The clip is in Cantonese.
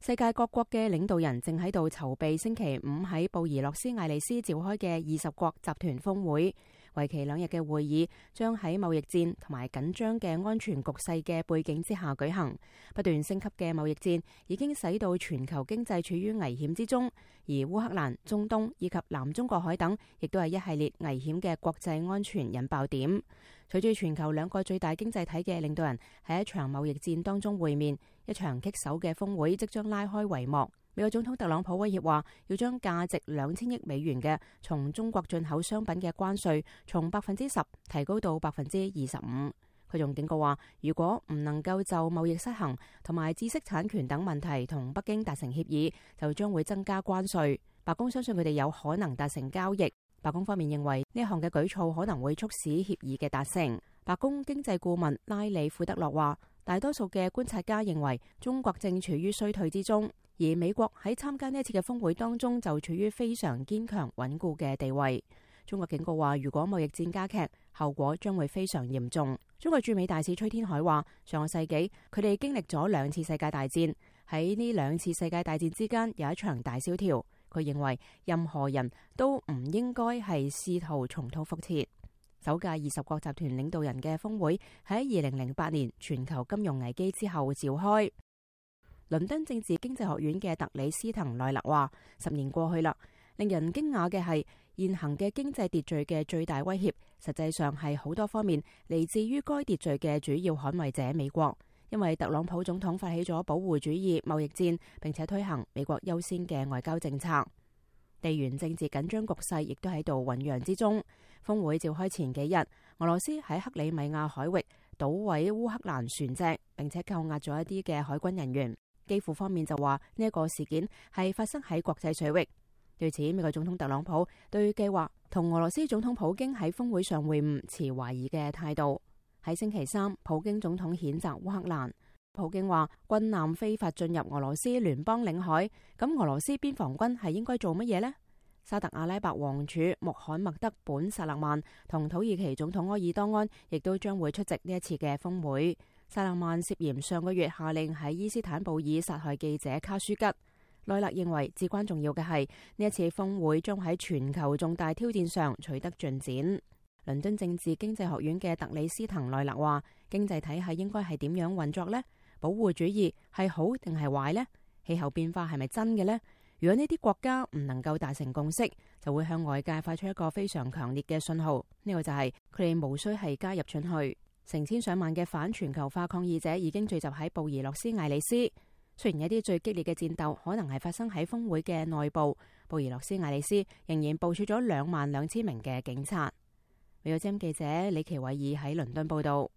世界各國嘅領導人正喺度籌備星期五喺布宜諾斯艾利斯召開嘅20國集團峰會，為期2日嘅會議將喺貿易戰同埋緊張嘅安全局勢嘅背景之下舉行。不斷升級嘅貿易戰已經使到全球經濟處於危險之中，而烏克蘭、中東以及南中國海等亦都係一系列危險嘅國際安全引爆點。隨住全球2個最大經濟體嘅領導人喺一場貿易戰當中會面，一場棘手嘅峰會即將拉開帷幕。美國總統特朗普威脅話，要將價值2000億美元嘅從中國進口商品嘅關稅從10%提高到25%。佢仲警告話，如果唔能夠就貿易失衡同埋知識產權等問題同北京達成協議，就將會增加關稅。白宮相信佢哋有可能達成交易。白宮方面認為呢一項嘅舉措可能會促使協議嘅達成。白宮經濟顧問拉里庫德洛話，大多數嘅觀察家認為中國正處於衰退之中，而美國喺參加呢一次嘅峰會當中就處於非常堅強穩固嘅地位。中國警告話，如果貿易戰加劇，後果將會非常嚴重。中國駐美大使崔天凱話，上個世紀佢哋經歷咗2次世界大戰，喺呢2次世界大戰之間有一場大蕭條。佢認為任何人都唔應該係試圖重蹈覆轍。首屆20國集團領導人嘅峰會喺2008年全球金融危機之後召開。倫敦政治經濟學院嘅特里斯滕奈勒話：10年過去啦，令人驚訝嘅係現行嘅經濟秩序嘅最大威脅，實際上係好多方面嚟自於該秩序嘅主要捍衛者美國。因為特朗普總統發起咗保護主義貿易戰，並且推行美國優先嘅外交政策。地緣政治緊張局勢亦都喺度醞釀之中。峰會召開前幾日，俄羅斯喺克里米亞海域搗毀烏克蘭船隻，並且扣押咗一啲嘅海軍人員。基輔方面就話呢一個事件係發生喺國際水域。對此，美國總統特朗普對計劃同俄羅斯總統普京喺峰會上會晤持懷疑嘅態度。喺星期三，普京總統譴責烏克蘭。普京話軍艦非法進入俄羅斯聯邦領海，咁俄羅斯邊防軍係應該做乜嘢呢？沙特阿拉伯王儲穆罕默德本薩勒曼同土耳其總統埃爾多安亦都將會出席呢一次嘅峰會。薩勒曼涉嫌上個月下令喺伊斯坦布爾殺害記者卡舒吉。奈勒認為至關重要嘅係呢一次峰會將喺全球重大挑戰上取得進展。倫敦政治經濟學院嘅特里斯滕奈勒話：經濟體系應該係點樣運作呢？保護主義係好定係壞呢？氣候變化係咪真嘅呢？如果呢啲國家唔能夠達成共識，就會向外界發出一個非常強烈嘅信號。呢個就係佢哋無需係加入進去。成千上萬嘅反全球化抗議者已經聚集喺布宜諾斯艾利斯。雖然一啲最激烈嘅戰鬥可能係發生喺峰會嘅內部，布宜諾斯艾利斯仍然部署咗22000名嘅警察。美國之音記者李奇偉爾喺倫敦報道。